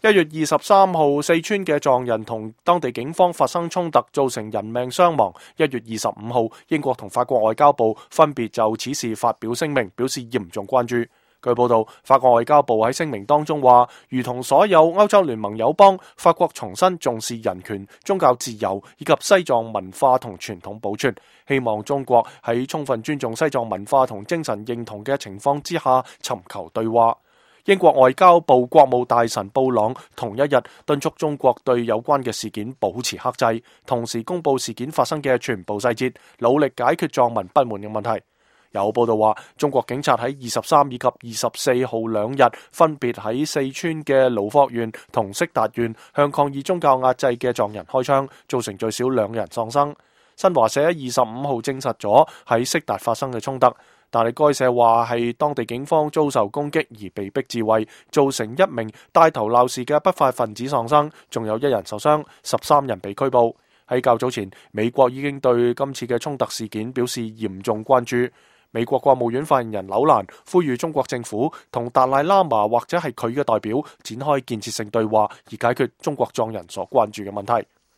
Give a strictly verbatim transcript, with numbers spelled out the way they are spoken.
一月二十三號，四川嘅藏人同當地警方發生衝突，造成人命傷亡。一月二十五號，英國同法國外交部分別就此事發表聲明，表示嚴重關注。據報道，法國外交部喺聲明當中話，如同所有歐洲聯盟友邦，法國重新重視人權、宗教自由以及西藏文化同傳統保存，希望中國喺充分尊重西藏文化同精神認同嘅情況之下尋求對話。英國外交部國務大臣布朗同一日敦促中國對有關嘅事件保持克制，同時公布事件發生嘅全部細節，努力解決藏民不滿嘅問題。有報道話，中國警察喺二十三以及二十四號兩日分別喺四川嘅盧霍縣同色達縣向抗議宗教壓制嘅藏人開槍，造成最少兩人喪生。新華社喺二十五號證實咗喺色達發生嘅衝突。但係該社話係當地警方遭受攻擊而被逼自衛，造成一名帶頭鬧事嘅不法分子喪生，仲有一人受傷，十三人被拘捕。喺較早前，美國已經對今次嘅衝突事件表示嚴重關注。美國國務院發言人紐蘭呼籲中國政府同達賴喇嘛或者係佢嘅代表展開建設性對話，而解決中國藏人所關注嘅問題。